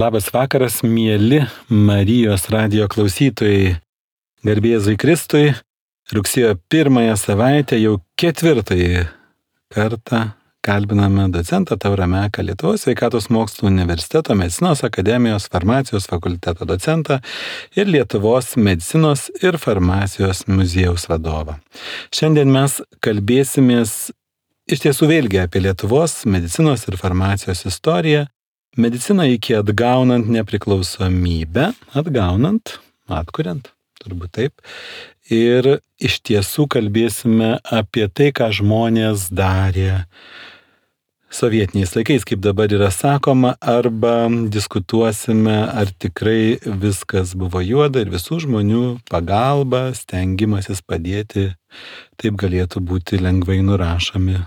Labas vakaras, mieli Marijos radijo klausytojai. Garbė Jėzui Kristui, rugsėjo 1 savaitę jau 4 kartą kalbiname docentą Taurą Meką, Lietuvos sveikatos mokslų universiteto medicinos akademijos farmacijos fakulteto docentą ir Lietuvos medicinos ir farmacijos muziejaus vadovą. Šiandien mes kalbėsimės iš tiesų vėlgi apie Lietuvos medicinos ir farmacijos istoriją, mediciną iki atgaunant nepriklausomybę, atkuriant, turbūt taip. Ir iš tiesų kalbėsime apie tai, ką žmonės darė sovietiniais laikais, kaip dabar yra sakoma, arba diskutuosime, ar tikrai viskas buvo juoda ir visų žmonių pagalba, stengimasis padėti, taip galėtų būti lengvai nurašomi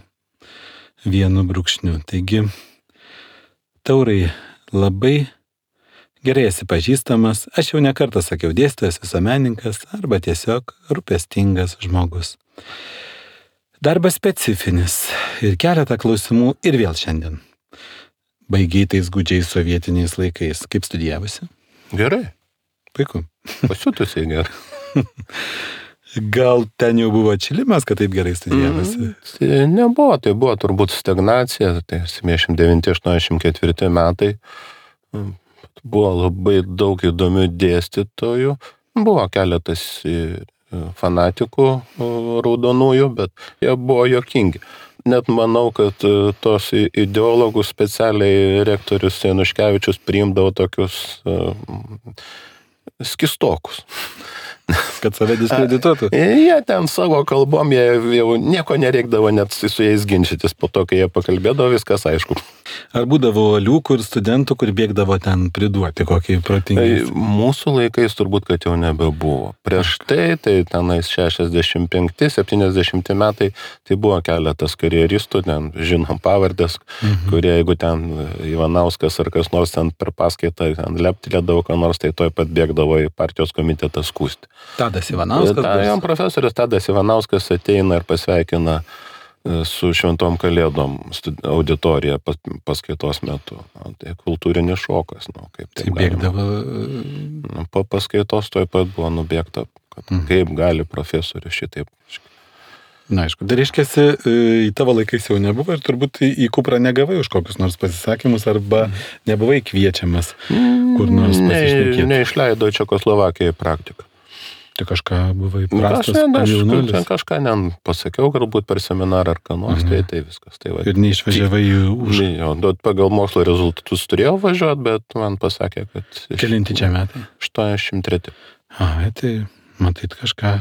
vienu brūkšniu. Taigi, Taurai, labai gerai esi pažįstamas, aš jau nekartą sakiau, dėstytojas, visuomenininkas arba tiesiog rūpestingas žmogus. Darbas specifinis ir keletą klausimų ir vėl šiandien. Baigiai tais gūdžiais sovietiniais laikais. Kaip studijavusi? Gerai. Puiku. Pasiutusiai gerai. Gal ten jau buvo atšilimas, kad taip gerai studijavosi? Nebuvo, tai buvo turbūt stagnacija, tai 79-84 metai. Buvo labai daug įdomių dėstytojų, buvo keletas fanatikų raudonųjų, bet jie buvo juokingi. Net manau, kad tos ideologus specialiai rektorius Januškevičius priimdavo tokius skistokus. Kad save diskredituotų? Jie ten savo kalbom, jie jau nieko nereikdavo net su jais ginčytis, po to, kai jie pakalbėdavo, viskas aišku. Ar būdavo liukų ir studentų, kur bėgdavo ten priduoti kokį protingį? Mūsų laikais turbūt, kad jau nebebuvo. Prieš tai tenais 65-70 metai, tai buvo keletas karjeristų, ten žinom pavardės, kurie, jeigu ten Ivanauskas ar kas nors ten per paskaitą ten leptelėdavo, ką nors, tai toj pat bėgdavo į partijos komitetą skųsti. Tadas Ivanauskas? Jam profesorius Tadas Ivanauskas ateina ir pasveikina su šventom kalėdom auditorija paskaitos metu. Tai kultūrinis šokas. Kaip tai bėgdavo? Po paskaitos toj pat buvo nubėgta, kad kaip gali profesorius šitaip. Na, aišku, dar reiškiasi, į tavo laikais jau nebuvo ir turbūt į Kuprą negavai už kokius nors pasisakymus arba nebuvai kviečiamas kur nors pasišnekėti. Neišleido Čekoslovakijoje praktiką. Tai kažką buvai prastas jaunuolis? Kažką pasakiau, galbūt per seminarą ar ką nors, tai viskas. Tai ir neišvažiavai už? Pagal mokslo rezultatus turėjau važiuoti, bet man pasakė, kad... Kelinti čia metai? 83. Tai matyt kažką...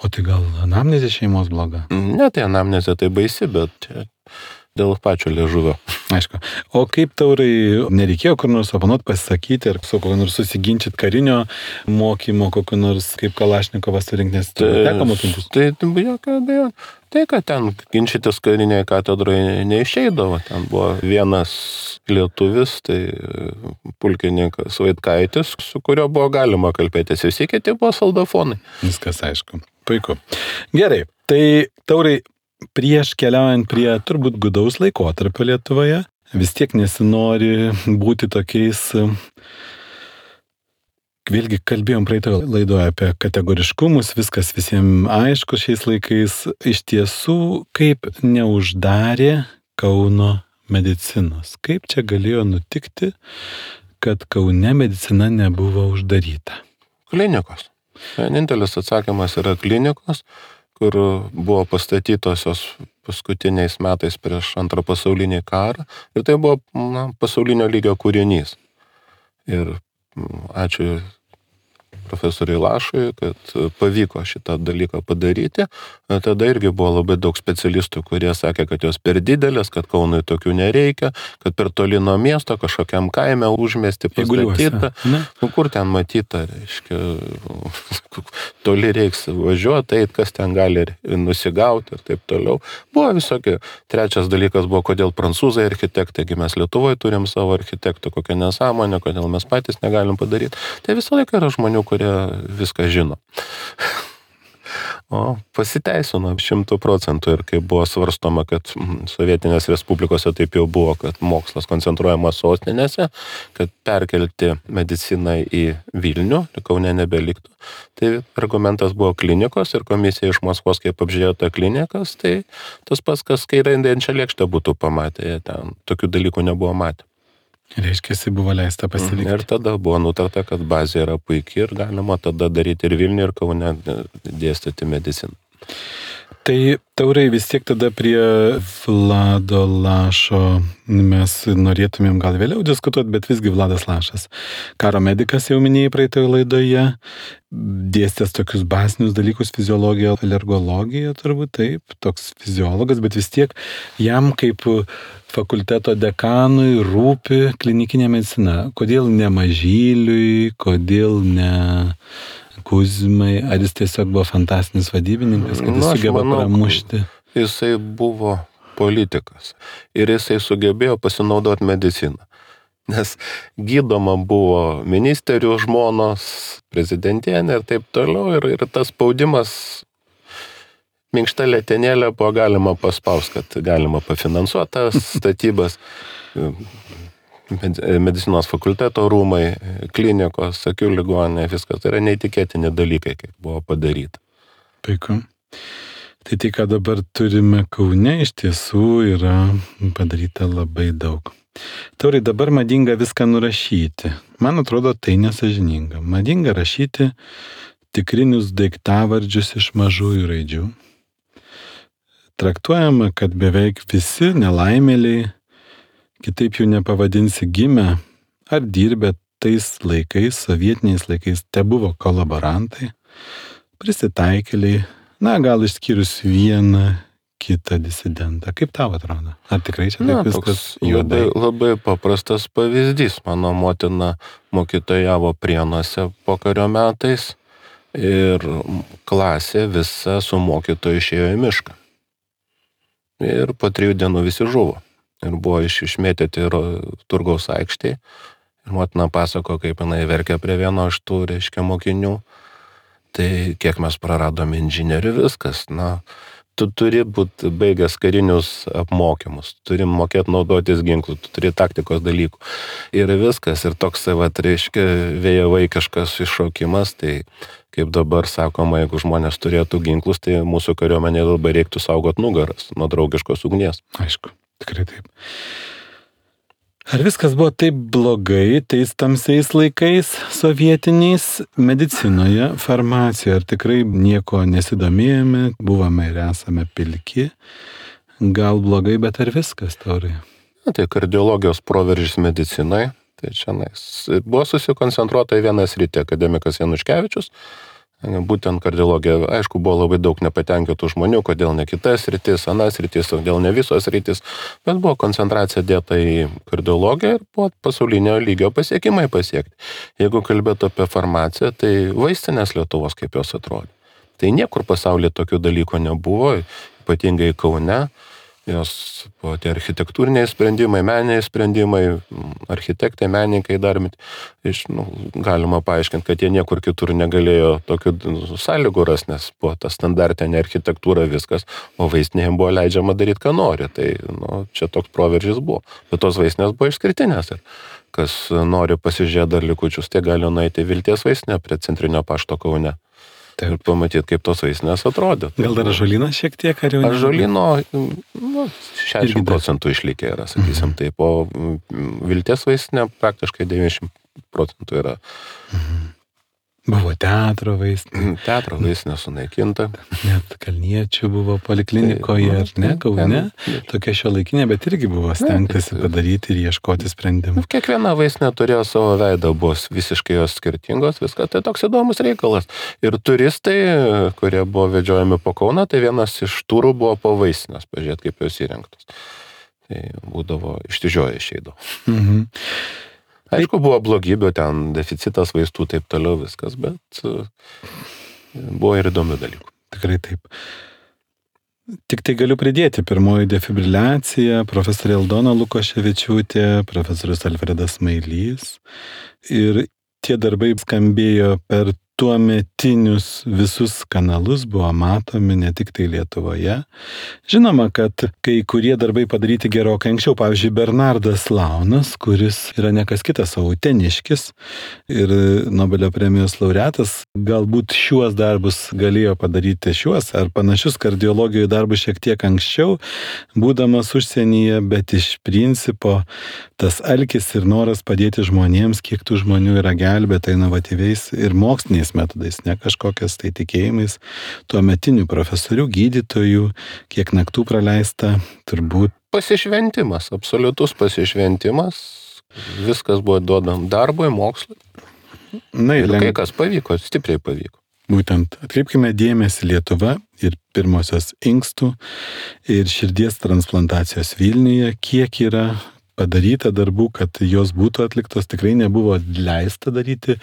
O tai gal anamnezė šeimos bloga? Ne, tai anamnezė tai baisi, bet dėl pačio liežuvio. Aišku. O kaip Taurai, nereikėjo kur nors oponuot pasisakyti ir su kokiu nors susiginčyti karinio mokymo, kokiu nors kaip Kalašnikovas surinkti, nes teko mokintis? Tai jokio abejo. Tai, kad ten ginčytis karinėje katedroje neišeidavo. Ten buvo vienas lietuvis, tai pulkininkas Vaitkaitis, su kurio buvo galima kalbėtis. Visi kiti buvo soldafonai. Viskas aišku. Puiku. Gerai, tai Taurai, prieš keliaujant prie turbūt gūdaus laikotarpio Lietuvoje, vis tiek nesinori būti tokiais, vėlgi kalbėjom praeitoje laidoje apie kategoriškumus, viskas visiems aišku šiais laikais, iš tiesų kaip neuždarė Kauno medicinos. Kaip čia galėjo nutikti, kad Kaune medicina nebuvo uždaryta? Klinikos. Vienintelis atsakymas yra klinikos, kur buvo pastatytosios paskutiniais metais prieš Antrą pasaulinį karą. Ir tai buvo pasaulinio lygio kūrinys. Ir ačiū profesoriui Lašui, kad pavyko šitą dalyką padaryti. Tada irgi buvo labai daug specialistų, kurie sakė, kad jos per didelės, kad Kaunui tokių nereikia, kad per toli nuo miesto kažkokiam kaime užmiesti pastatyta. Kur ten matyta, reiškia, toli reiks važiuoti, kas ten gali nusigauti ir taip toliau. Buvo visokie. Trečias dalykas buvo, kodėl prancūzai architektai, mes Lietuvoje turim savo architektų, kokią nesąmonę, kodėl mes patys negalim padaryti. Tai visą laiką yra žmonių, kurie viską žino. O pasiteisino 100%. Ir kai buvo svarstoma, kad sovietinės respublikose taip jau buvo, kad mokslas koncentruojamas sostinėse, kad perkelti mediciną į Vilnių, Kaune nebeliktų. Tai argumentas buvo klinikos ir komisija iš Maskvos, kaip apžiūrėjo tą klinikas, tai tas pats, kas kairėjančią lėkštę būtų pamatę, jie ten tokių dalykų nebuvo matę. Reiškia, buvo leista pasilikti. Ir tada buvo nutarta, kad bazė yra puikiai ir galima tada daryti ir Vilnių, ir Kaune dėstyti mediciną. Tai Taurai vis tiek tada prie Vlado Lašo mes norėtumėm gal vėliau diskutuoti, bet visgi Vladas Lašas. Karo medikas jau minėjai praeitoje laidoje, dėstęs tokius bazinius dalykus, fiziologiją, alergologiją turbūt, taip, toks fiziologas, bet vis tiek jam kaip fakulteto dekanui rūpi klinikinė medicina. Kodėl ne Mažyliui, kodėl ne Kuzmai, ar jis tiesiog buvo fantastinis vadybininkas, kad jis sugeba pramušti? Jisai buvo politikas ir jisai sugebėjo pasinaudoti mediciną. Nes gydoma buvo ministerių žmonos, prezidentienė ir taip toliau, ir tas spaudimas minkšta letenėlė buvo galima paspausti, kad galima pafinansuoti tas statybas, medicinos fakulteto rūmai, klinikos, akių ligoninė, viskas. Tai yra neįtikėtini dalykai, kaip buvo padaryta. Puiku. Tai, ką dabar turime Kaune, iš tiesų yra padaryta labai daug. Taurai, dabar madinga viską nurašyti. Man atrodo, tai nesąžininga. Madinga rašyti tikrinius daiktavardžius iš mažųjų raidžių. Traktuojama, kad beveik visi nelaimėliai, kitaip jų nepavadinsi, gimę ar dirbę tais laikais, sovietiniais laikais, te buvo kolaborantai, prisitaikėliai, gal išskyrus vieną kitą disidentą. Kaip tau atrodo? Ar tikrai čia taip viskas juodai? Labai paprastas pavyzdys. Mano motina mokytojavo Prienuose pokario metais ir klasė visa su mokytoju išėjo į mišką. Ir po 3 dienų visi žuvo. Ir buvo išmėtyti Turgaus aikštėje. Ir motina pasako, kaip jinai verkė prie vieno iš tų, mokinių. Tai kiek mes praradom inžinierių, viskas. Tu turi būti baigęs karinius apmokymus, turi mokėti naudotis ginklų, tu turi taktikos dalykų. Ir viskas. Ir toks, vėjo vaikiškas iššaukimas, tai kaip dabar sakoma, jeigu žmonės turėtų ginklus, tai mūsų kariuomenė labai reiktų saugot nugaras nuo draugiškos ugnies. Aišku, tikrai taip. Ar viskas buvo taip blogai tais tamsiais laikais sovietiniais medicinoje, farmacijoje? Ar tikrai nieko nesidomėjome, buvome ir esame pilki? Gal blogai, bet ar viskas, Taurai? Tai kardiologijos proveržis medicinai. Tai čia buvo susikoncentruota į vieną sritį, akademikas Januškevičius. Būtent kardiologija, aišku, buvo labai daug nepatenkintų žmonių, kodėl ne kitas sritis, anas sritis, kodėl ne visos sritis, bet buvo koncentracija dėta į kardiologiją ir buvo pasaulinio lygio pasiekimai pasiekti. Jeigu kalbėtų apie farmaciją, tai vaistinės Lietuvos kaip jos atrodė. Tai niekur pasaulyje tokių dalykų nebuvo, ypatingai Kaune. Jos buvo tie architektūriniai sprendimai, meniniai sprendimai, architektai, menininkai daryti. Galima paaiškinti, kad jie niekur kitur negalėjo tokių sąlygų ras, nes buvo ta standartinė architektūra viskas, o vaistinėje buvo leidžiama daryti, ką nori. Tai čia toks proveržis buvo. Bet tos vaistinės buvo išskirtinės. Ir kas nori pasižiūrėti dar likučius, tai gali nueiti Vilties vaistinę prie Centrinio pašto Kaune. Taip. Ir pamatyti, kaip tos vaistinės atrodė. Gal dar ąžuolynas šiek tiek, ar jau? Ąžuolyno 60% išlikę yra, sakysim taip, o Vilties vaistinė praktiškai 90% yra. Buvo teatro vaistinė. Teatro vaistinė sunaikinta. Net Kalniečių buvo poliklinikoje, ar ne, Kaune. Tokia šiuolaikinė, bet irgi buvo stengtasi padaryti ir ieškoti sprendimų. Kiekviena vaistinė turėjo savo veidą, buvo visiškai jos skirtingos, viskas. Tai toks įdomus reikalas. Ir turistai, kurie buvo vedžiojami po Kauną, tai vienas iš turų buvo po vaistinės, pažiūrėti, kaip jos įrengtos. Tai būdavo išsižioję išeidavo. Aišku, buvo blogybė, ten deficitas vaistų, taip toliau viskas, bet buvo ir įdomių dalykų. Tikrai taip. Tik tai galiu pridėti, pirmoji defibriliacija, profesorė Aldona Lukoševičiūtė, profesorius Alfredas Mailys. Ir tie darbai skambėjo per tuometinius visus kanalus buvo matomi ne tik tai Lietuvoje. Žinoma, kad kai kurie darbai padaryti gerokai anksčiau, pavyzdžiui, Bernardas Launas, kuris yra ne kas kitas, o uteniškis ir Nobelio premijos laureatas, galbūt šiuos darbus galėjo padaryti ar panašius kardiologijoje darbus šiek tiek anksčiau, būdamas užsienyje, bet iš principo tas alkis ir noras padėti žmonėms, kiek tų žmonių yra gelbėta inovatyviais ir moksliniais metodais, ne kažkokias tai tikėjimais, tuometinių profesorių, gydytojų, kiek naktų praleista, turbūt. Pasišventimas, absoliutus pasišventimas, viskas buvo duodam darbui, mokslui. Ir kai kas pavyko, stipriai pavyko. Būtent atkreipkime dėmesį Lietuva ir pirmosios inkstų ir širdies transplantacijos Vilniuje, kiek yra padaryta darbų, kad jos būtų atliktos, tikrai nebuvo leista daryti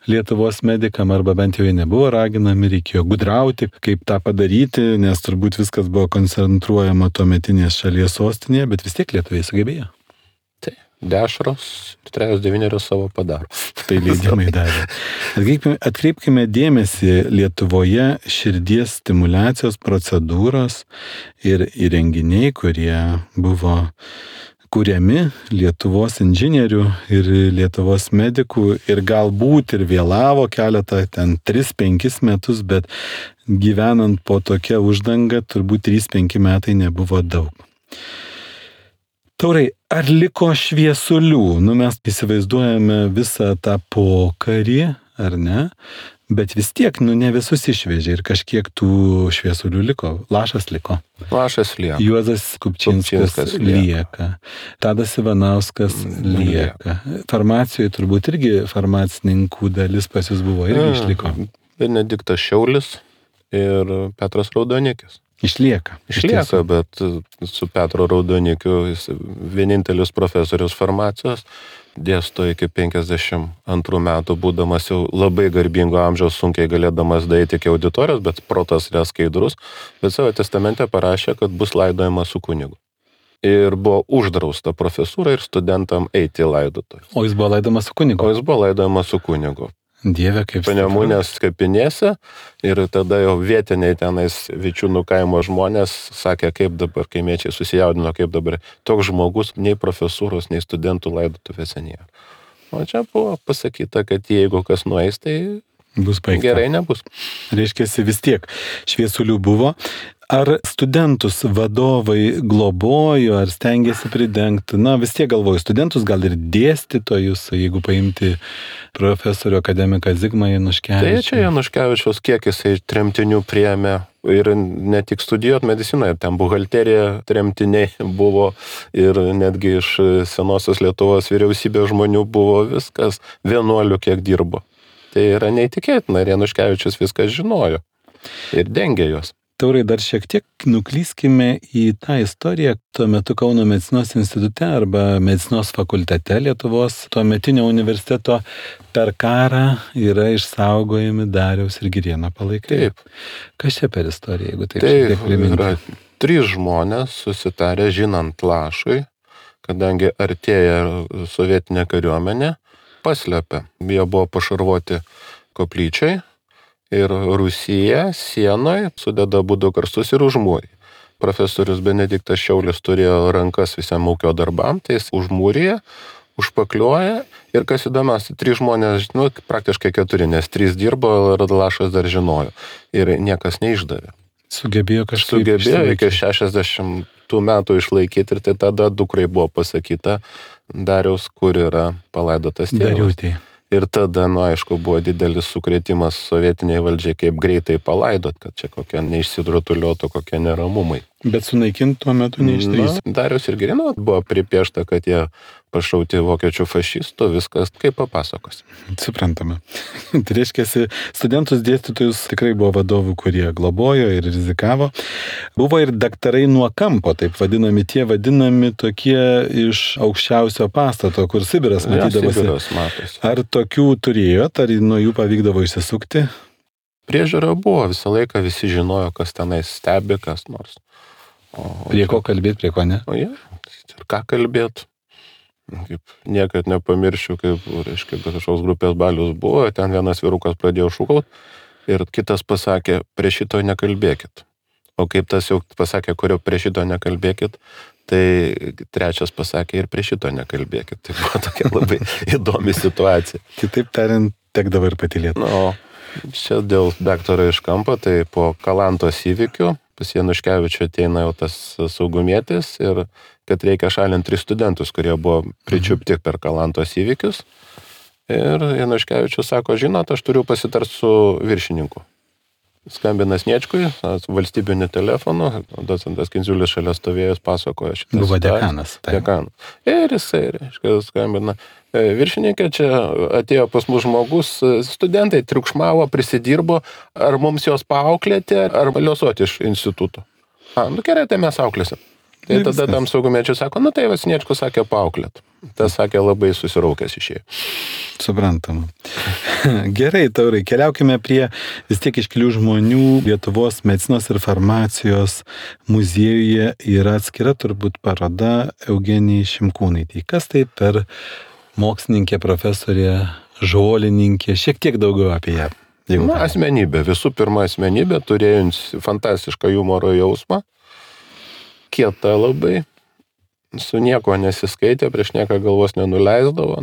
Lietuvos medikam, arba bent jau jie nebuvo raginami, reikėjo gudrauti, kaip tą padaryti, nes turbūt viskas buvo koncentruojama tuometinės šalies sostinėje, bet vis tiek lietuviai sugebėjo. Tai dešros ir 39 savo padaro. Tai leidimai davė. Atkreipkime dėmesį, Lietuvoje širdies stimulacijos procedūros ir įrenginiai, kurie buvo kuriami Lietuvos inžinierių ir Lietuvos medikų ir galbūt ir vėlavo keletą, 3-5 metus, bet gyvenant po tokia uždanga, turbūt 3-5 metai nebuvo daug. Taurai, ar liko šviesulių? Mes įsivaizduojame visą tą pokarį, ar ne? Bet vis tiek, ne visus išvežė ir kažkiek tų šviesulių liko. Lašas liko. Lašas lieka. Juozas Kupčinskas lieka. Tadas Ivanauskas lieka. Farmacijoje turbūt irgi farmacininkų dalis pas jūs buvo, irgi išliko. Benediktas Šiaulis ir Petras Raudonikis. Išlieka, bet su Petro Raudonikiu jis vienintelis profesorius farmacijos, dėsto iki 52 metų, būdamas jau labai garbingo amžiaus, sunkiai galėdamas daeiti iki auditorijos, bet protas yra skaidrus, bet savo testamente parašė, kad bus laidojama su kunigu. Ir buvo uždrausta profesūra ir studentam eiti į laidotuvę. O jis buvo laidojamas su kunigu. Dieve, kaip Panemunės kapinėse ir tada jau vietiniai tenais Vičiūnų kaimo žmonės sakė, kaip dabar, kaimiečiai susijaudino, kaip dabar toks žmogus nei profesūros, nei studentų laidotuvėse nėra. O čia buvo pasakyta, kad jeigu kas nueis, tai bus baigta. Gerai nebus. Reiškiasi vis tiek šviesulių buvo. Ar studentus vadovai globojo, ar stengiasi pridengti? Vis tiek galvoju, studentus gal ir dėstytojus, jeigu paimti profesorių akademiką Zigmą Januškevičių. Tai čia Januškevičiaus kiek jisai tremtinių priėmė ir ne tik studijuoti mediciną, ir ten buhalterija tremtiniai buvo ir netgi iš senosios Lietuvos vyriausybės žmonių buvo viskas, vienuolių kiek dirbo. Tai yra neįtikėtina, ir Januškevičius viską žinojo ir dengė juos. Taurai, dar šiek tiek nuklyskime į tą istoriją. Tuo metu Kauno medicinos institute arba medicinos fakultete Lietuvos tuometinio universiteto per karą yra išsaugojami Dariaus ir Girėno palaikai. Taip. Kas čia per istoriją, jeigu taip šiek tiek priminti? Yra 3 žmonės susitarę žinant Lašui, kadangi artėja sovietinė kariuomenė, paslėpė. Jie buvo pašarvoti koplyčiai. Ir Rusija sienoje sudeda abudu karstus ir užmūrė. Profesorius Benediktas Šiaulis turėjo rankas visam ūkio darbam, tai jis užmūrė, užpakliuoja ir kas įdomiausia, 3 žmonės, praktiškai 4, nes 3 dirbo ir Lašas dar žinojo. Ir niekas neišdavė. Sugebėjo iki 60 metų išlaikyti ir tai tada dukrai buvo pasakyta Dariaus, kur yra palaidotas tėvas. Dariutė. Ir tada, aišku, buvo didelis sukrėtimas sovietiniai valdžiai, kaip greitai palaidot, kad čia kokie neišsidrutuliotų, kokie neramumai. Bet sunaikinti tuo metu neišdrįs. Darius ir Girėno buvo pripiešta, kad jie pašauti vokiečių fašistų, viskas kaip papasakos. Suprantama. Tai reiškia, studentus dėstytojus tikrai buvo vadovų, kurie globojo ir rizikavo. Buvo ir daktarai nuo kampo, taip vadinami, tie vadinami tokie iš aukščiausio pastato, kur Sibiras matydavosi. Sibiras matosi. Ar tokių turėjot, ar nuo jų pavykdavo išsisukti? Priežiūra buvo, visą laiką visi žinojo, kas tenais stebi, kas nors. Prie ko kalbėti, prie ko ne? Ir ką kalbėti? Kaip niekad nepamiršiu, kaip, reiškia, kažkoks grupės balius buvo, ten vienas vyrukas pradėjo šūkaut ir kitas pasakė, prie šito nekalbėkit. O kaip tas jau pasakė, kurio prie šito nekalbėkit, tai trečias pasakė ir prie šito nekalbėkit. Tai buvo tokia labai įdomi situacija. Kitaip tariant, tekdavo ir patylėti. Nu, čia dėl daktaro iš kampo, tai po Kalantos įvykių pas Januškevičių ateina jau tas saugumietis ir kad reikia šalinti 3 studentus, kurie buvo pričiupti per Kalantos įvykius. Ir Januškevičius sako, žinot, aš turiu pasitart su viršininku. Skambina Sniečkui, valstybiniu telefonu, docentas Kindziulis šalia stovėjus pasakoja šitą Buvo situaciją. dekanas. Dekanas. Ir jisai, reiškia, skambina. Viršininkė, čia atėjo pas mus žmogus, studentai triukšmavo, prisidirbo, ar mums jos paauklėti, ar liuosoti iš instituto. Nu gerai, tai mes auklėsim. Tai Ir tada viskas. tam saugumiečiui sako, nu tai Sniečkus sakė paauklėt. Tas sakė labai susiraukęs išėjo. Suprantama. Gerai, Taurai, keliaukime prie vis tiek iškilių žmonių. Lietuvos medicinos ir farmacijos muziejuje yra atskira turbūt paroda Eugenijai Šimkūnaitei. Kas tai per mokslininkė, profesorė, žolininkė? Šiek tiek daugiau apie ją. Na, asmenybė. Visų pirma, asmenybė, turėjusi fantastišką humoro jausmą. Kieta labai. Su nieko nesiskaitė, prieš nieką galvos nenuleisdavo,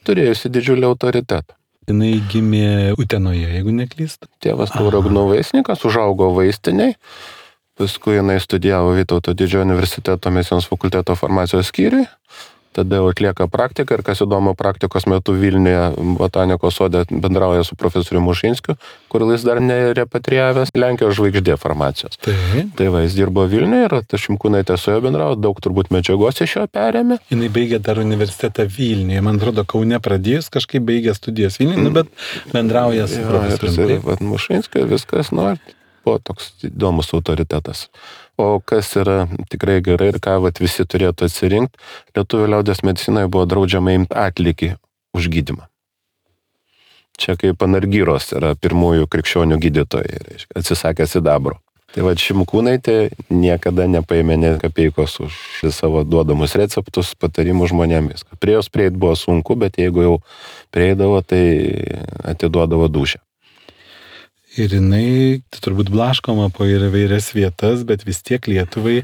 turėjusi didžiulį autoritetą. Jinai gimė Utenoje, jeigu neklystu. Tėvas Tauragno vaistinikas, užaugo vaistiniai, paskui jinai studijavo Vytauto didžiojo universiteto medicinos fakulteto farmacijos skyriui, tada jau atlieka praktiką ir kas įdomu, praktikos metu Vilniuje botanikos sode bendrauja su profesoriumi Mušinskiu, kur jis dar nerepatrijavęs Lenkijos žvaigždė farmacijos. Tai va, jis dirbo Vilniuje ir ta Šimkūnaitė su juo bendravo, daug turbūt medžiagos iš jo perėmė. Jinai baigė dar universitetą Vilniuje, man atrodo, Kaune pradėjus, kažkaip baigė studijas Vilniuje, bet bendrauja su profesoriumi. Ir Mušinskiu viskas, buvo toks įdomus autoritetas. O kas yra tikrai gerai ir ką visi turėtų atsirinkti, lietuvių liaudės medicinoje buvo draudžiama imti atlygį už gydymą. Čia kaip Panargyros yra pirmųjų krikščionių gydytojai, reiškia, atsisakė sidabro. Tai va, Šimkūnaitė niekada nepaėmė nė kapeikos už savo duodamus receptus, patarimų žmonėmis. Prie jos prieit buvo sunku, bet jeigu jau prieidavo, tai atiduodavo dūšią. Ir jinai turbūt blaškoma po įvairias vietas, bet vis tiek Lietuvai,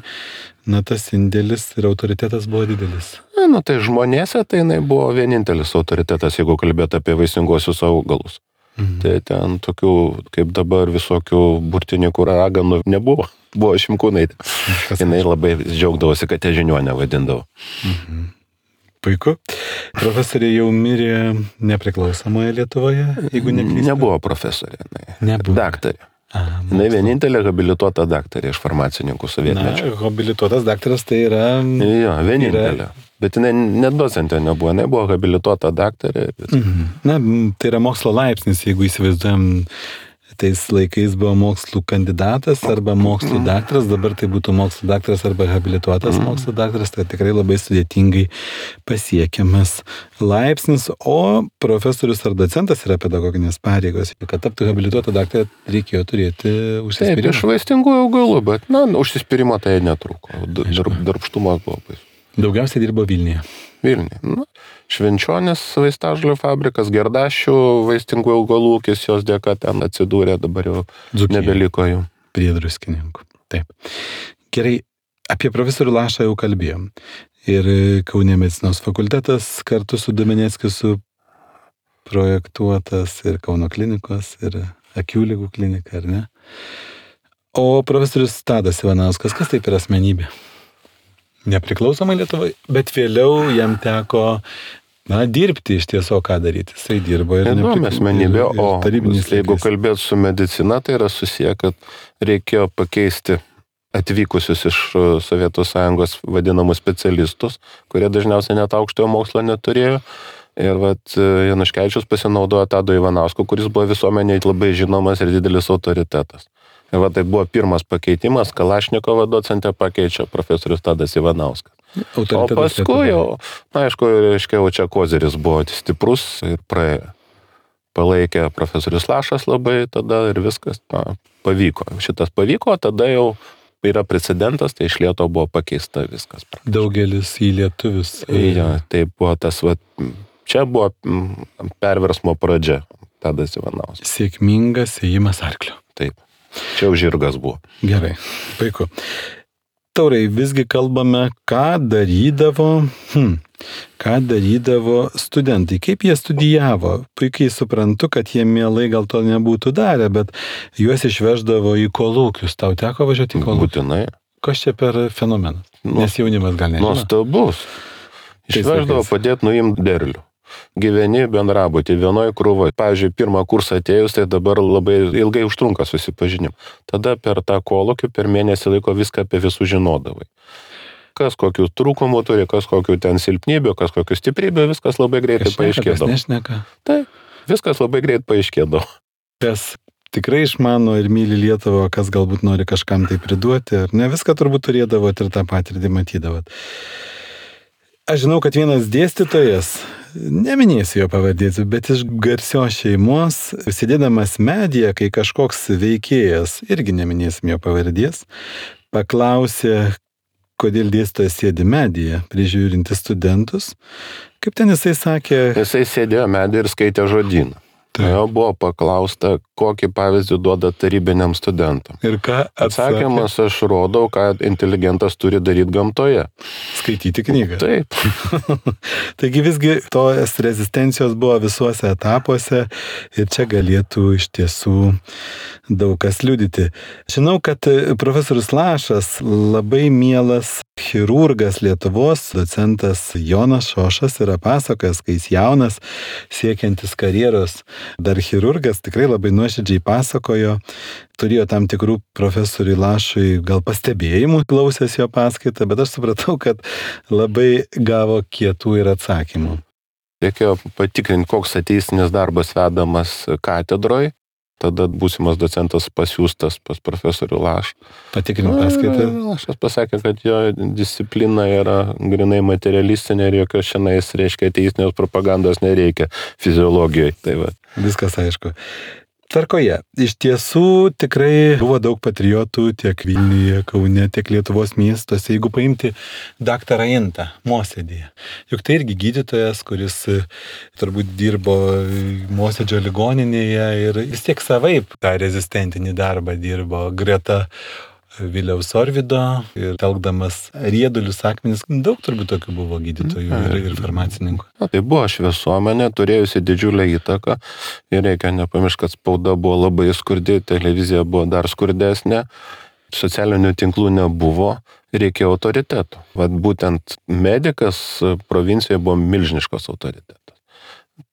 tas indėlis ir autoritetas buvo didelis. Tai žmonėse tai jinai buvo vienintelis autoritetas, jeigu kalbėt apie vaisinguosius augalus. Tai ten tokių, kaip dabar, visokių burtininkų raganų nebuvo. Buvo Šimkūnaitė. Jinai labai džiaugdavosi, kad žiniuonę vadindavo. Puiku. Profesorė jau mirė nepriklausomoje Lietuvoje, jeigu neklystu. Nebuvo profesorė, Nebuvo. Daktarė. Jinai vienintelė habilituota daktarė iš farmacininkų sovietmečio. Habilituotas daktaras tai yra... Jo, vienintelė. Bet jinai net docentė nebuvo, jinai buvo habilituota daktarė. Tai yra mokslo laipsnis, jeigu įsivaizduojam, tais laikais buvo mokslų kandidatas arba mokslų daktaras, dabar tai būtų mokslų daktaras arba habilituotas mokslų daktaras, tai tikrai labai sudėtingai pasiekiamas laipsnis, o profesorius ar docentas yra pedagoginės pareigos. Kad taptų habilituotą daktarą reikėjo turėti užsispyrimą. Taip, iš vaistingųjų augalų, bet užsispyrimo tai netrūko. Darbštumas buvo baisus. Daugiausiai dirbo Vilniuje. Vilniuje. Švenčionės vaistažolių fabrikas, Gerdašių vaistingų augalų ūkis, jos dėka ten atsidūrė, dabar jau nebeliko jų. Prie Druskininkų. Taip. Gerai, apie profesorių Lašą jau kalbėjom. Ir Kaune medicinos fakultetas kartu su Domeneckiu suprojektuotas ir Kauno klinikos, ir akių ligų klinika, ar ne? O profesorius Tadas Ivanauskas, kas taip yra asmenybė? Nepriklausomai Lietuvai, bet vėliau jam teko dirbti iš tiesų, ką daryti. Jisai dirbo ir įdomi asmenybė, o jeigu kalbėt su medicina, tai yra susiję, kad reikėjo pakeisti atvykusius iš Sovietų Sąjungos vadinamus specialistus, kurie dažniausiai net aukštojo mokslo neturėjo. Ir Januškevičius pasinaudojo Tado Ivanausko, kuris buvo visuomeniai labai žinomas ir didelis autoritetas. Ir tai buvo pirmas pakeitimas, Kalašnikovo docentę pakeičia profesorius Tadas Ivanauskas. O paskui jau, aišku, reiškia, čia koziris buvo stiprus ir praėjo. Palaikė profesorius Lašas labai tada ir viskas pavyko. Šitas pavyko, tada jau yra precedentas, tai iš Lietuvo buvo pakeista viskas. Daugelis į lietuvius. Ja, tai buvo tas, čia buvo perversmo pradžia, Tadas Ivanauskas. Sėkmingas ėjimas arklio. Taip, čia jau žirgas buvo. Gerai, puiku. Taurai, visgi kalbame, ką darydavo studentai, kaip jie studijavo. Puikiai suprantu, kad jie mielai gal to nebūtų darę, bet juos išveždavo į kolūkius. Tau teko važiuoti į kolūkius? Būtinai. Kas čia per fenomenas? Nes jaunimas gal nežino. Nuostabus. Išveždavo padėti nuimti derlių. Gyveni bendrabutį, vienoj krūvoj. Pavyzdžiui, pirmą kursą atėjus, tai dabar labai ilgai užtrunka susipažinim. Tada per tą kolūkį, per mėnesį laiko viską apie visų žinodavai. Kas kokių trūkumų turi, kas kokių ten silpnybių, kas kokių stiprybių, viskas labai greitai paaiškėdavo. Kas nešneka. Taip, viskas labai greit paaiškėdavo. Kas tikrai išmano ir myli Lietuvą, kas galbūt nori kažkam tai priduoti, ar ne, viską turbūt turėdavot ir tą patirtį matydavot. Aš žinau, kad vienas dėstytojas, neminėsiu jo pavadėti, bet iš garsios šeimos, sėdėdamas medyje, kai kažkoks veikėjas, irgi neminėsim jo pavardės, paklausė, kodėl dėstytojas sėdi medyje, prižiūrinti studentus. Kaip ten jisai sakė? Jisai sėdėjo medyje ir skaitė žodyną. Jo buvo paklausta, kokį pavyzdį duoda tarybiniam studentam. Ir ką atsakė? Atsakymas, aš rodau, ką inteligentas turi daryti gamtoje. Skaityti knygą. Taip. Taigi visgi tos rezistencijos buvo visuose etapuose ir čia galėtų iš tiesų daug kas liudyti. Žinau, kad profesorius Lašas labai mielas chirurgas Lietuvos, docentas Jonas Šošas yra pasakojęs, kai jis jaunas, siekiantis karjeros, dar chirurgas tikrai labai nuoširdžiai pasakojo, turėjo tam tikrų profesoriui Lašui gal pastebėjimų, klausęs jo paskaitą, bet aš supratau, kad labai gavo kietų ir atsakymų. Reikėjo patikrinti, koks ateisinis darbas vedamas katedroj. Tada būsimas docentas pasiūstas pas profesorių Lašą. Patikrinti paskaitą. Lašas pasakė, kad jo disciplina yra grinai materialistinė ir jokios šiandien, reiškia, ateisinės propagandos nereikia fiziologijoje. Tai va. Viskas aišku. Tvarkoje. Iš tiesų tikrai buvo daug patriotų tiek Vilniuje, Kaune, tiek Lietuvos miestuose. Jeigu paimti daktarą Intą Mosėdyje. Juk tai irgi gydytojas, kuris turbūt dirbo Mosėdžio ligoninėje ir vis tiek savaip tą rezistentinį darbą dirbo greta Viliaus Orvido ir telkdamas riedulius akmenis. Daug turbūt tokių buvo gydytojų ir farmacininkų. Tai buvo šviesuomenė, turėjusi didžiulę įtaką ir reikia nepamiršti, kad spauda buvo labai skurdi, televizija buvo dar skurdesnė, socialinių tinklų nebuvo, reikėjo autoritetų. Vat būtent medikas provincijoje buvo milžiniškas autoritetas.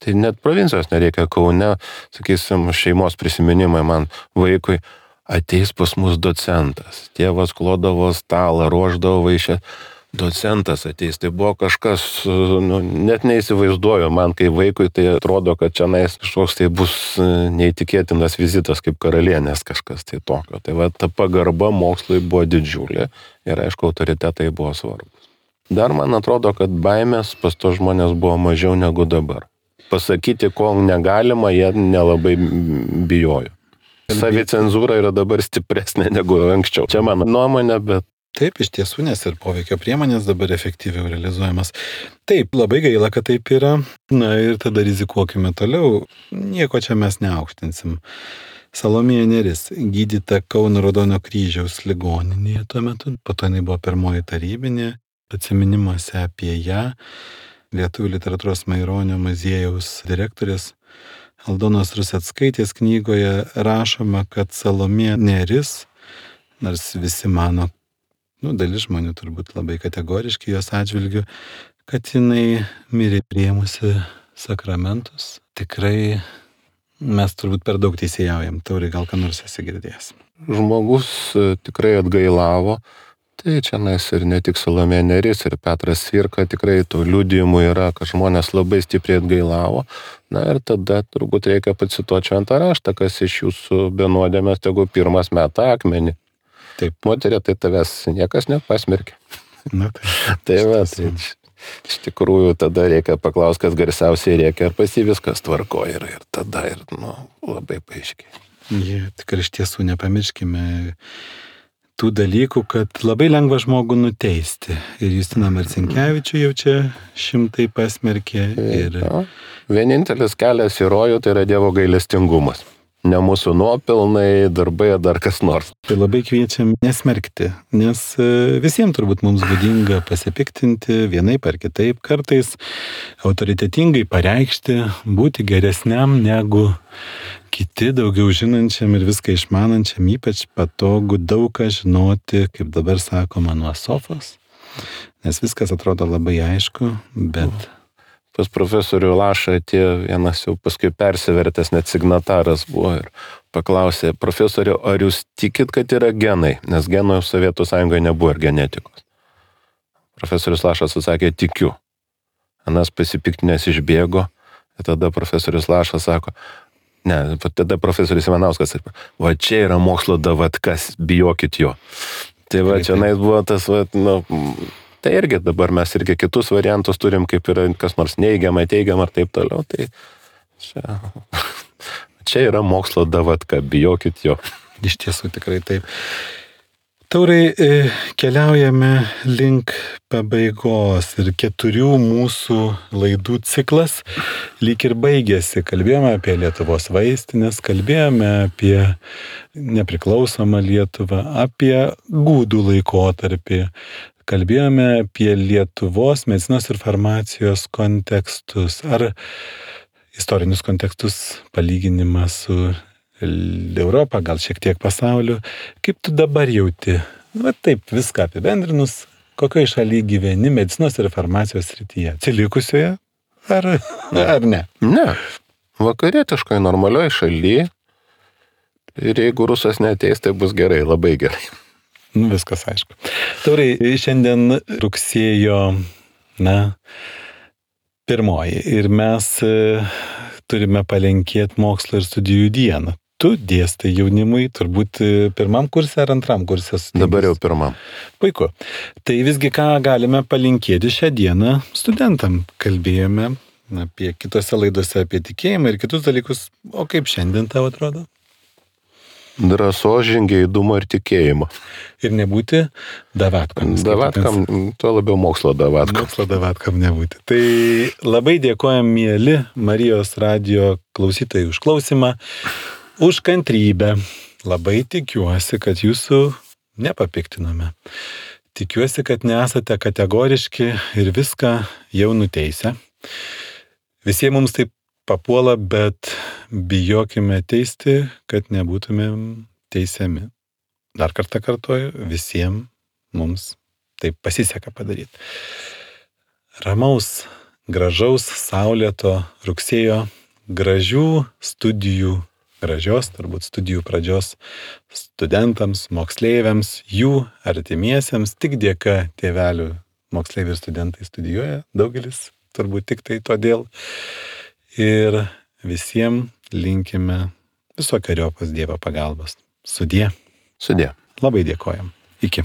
Tai net provincijos nereikia, Kaune, sakysim, šeimos prisiminimai man vaikui, ateis pas mus docentas. Tėvas klodavo stalą, ruošdavo vaišę. Docentas ateis. Tai buvo kažkas, net neįsivaizduoju. Man kaip vaikui tai atrodo, kad čia kažkoks tai bus neįtikėtinas vizitas kaip karalienės kažkas tai tokio. Tai va, ta pagarba mokslui buvo didžiulė ir aišku, autoritetai buvo svarbus. Dar man atrodo, kad baimės pas to žmonės buvo mažiau negu dabar. Pasakyti, ko negalima, jie nelabai bijojo. Savicenzūra yra dabar stipresnė negu anksčiau. Čia mano nuomonė, bet... Taip, iš tiesų, nes ir poveikio priemonės dabar efektyviau realizuojamas. Taip, labai gaila, kad taip yra. Na ir tada rizikuokime toliau. Nieko čia mes neaukštinsim. Salomėja Nėris, gydyta Kauno Raudono kryžiaus ligoninėje tuo metu. Po to jinai buvo pirmoji tarybinė. Atsiminimuose apie ją Lietuvių literatūros Maironio muziejaus direktorės Aldonos Ruseckaitės knygoje rašoma, kad Salomėja Nėris, nors visi mano, dalis žmonių turbūt labai kategoriški jos atžvilgiu, kad jinai mirė priėmusi sakramentus. Tikrai mes turbūt per daug teisėjaujam. Taurai, gal ką nors esi girdėjęs. Žmogus tikrai atgailavo. Tai čia ir ne tik Salomėja Nėris ir Petras Cvirka, tikrai tų liudijimų yra, kad žmonės labai stipriai atgailavo. Na ir tada turbūt reikia pacituoti šventą raštą, kas iš jūsų be nuodėmės, tegu pirmas meta akmenį. Taip. Moterė, tai tavęs niekas nepasmerkė. Na tai. Tai va, tai iš tikrųjų tada reikia paklausti, kas garsiausiai reikia, ar pas jį viskas tvarko ir tada labai paaiškiai. Tikrai iš tiesų nepamirškime tų dalykų, kad labai lengva žmogų nuteisti. Ir Justiną Marcinkevičių jau čia šimtai pasmerkė. Ir... Vienintelis kelias į rojų tai yra Dievo gailestingumas. Ne mūsų nuopelnai, darbai ar dar kas nors. Tai labai kviečiam nesmerkti, nes visiems turbūt mums būdinga pasipiktinti vienaip ar kitaip, kartais autoritetingai pareikšti, būti geresniam negu kiti, daugiau žinančiam ir viską išmanančiam, ypač patogu daug ką žinoti, kaip dabar sakoma, nuo sofos, nes viskas atrodo labai aišku, bet... Pas profesorių Lašą atėjo vienas jau paskui persivertęs net signataras buvo ir paklausė, profesorių, ar jūs tikit, kad yra genai, nes genų Sovietų Sąjungoje nebuvo ir genetikos. Profesorius Lašas atsakė, tikiu. Anas pasipiktinęs išbėgo, ir tada profesorius Lašas sako, tada profesorius Ivanauskas sako, va čia yra mokslo davatkas, bijokit jo. Tai va čia buvo tas, tai irgi dabar mes irgi kitus variantus turim, kaip yra kas nors neigiama, teigiama ir taip toliau. Tai čia yra mokslo davatka, bijokit jo. Iš tiesų tikrai taip. Taurai, keliaujame link pabaigos ir 4 mūsų laidų ciklas lyg ir baigėsi. Kalbėjome apie Lietuvos vaistinės, kalbėjome apie nepriklausomą Lietuvą, apie gūdų laikotarpį. Kalbėjome apie Lietuvos medicinos ir farmacijos kontekstus, ar istorinius kontekstus, palyginimą su Europą, gal šiek tiek pasauliu. Kaip tu dabar jauti? Taip, viską apibendrinus, kokioje šalyje gyveni medicinos ir farmacijos srityje? Atsilikusioje ar ne? Ne. Vakarietiškai normalioj šalyje. Ir jeigu rusas neateis, tai bus gerai, labai gerai. Viskas aišku. Taurai, šiandien rugsėjo, 1 ir mes turime palinkėti mokslo ir studijų dieną. Tu dėstai jaunimui, turbūt 1 kurse ar 2 kurse? Dabar jau 1. Puiku. Tai visgi ką galime palinkėti šią dieną studentam? Kalbėjome apie kitose laidose apie tikėjimą ir kitus dalykus. O kaip šiandien tau atrodo? Drąsos, žingeidumo ir tikėjimo. Ir nebūti davatkam. Davatkam, tuo labiau mokslo davatkam. Mokslo davatkam nebūti. Tai labai dėkojam, mieli Marijos radijo klausytojai, už klausimą, už kantrybę. Labai tikiuosi, kad jūsų nepapiktinome. Tikiuosi, kad nesate kategoriški ir viską jau nuteisę. Visiems mums taip papuola, bet bijokime teisti, kad nebūtumėm teisiami. Dar kartą kartuoju, visiems mums taip pasiseka padaryti. Ramaus, gražaus, saulėto rugsėjo, gražių studijų, gražios turbūt studijų pradžios studentams, moksleiviams, jų artimiesiems, tik dėka tėvelių moksleivių ir studentai studijuoja, daugelis turbūt tik tai todėl. Ir visiems linkime visokeriopos Dievo pagalbos. Sudie. Sudie. Labai dėkojam. Iki.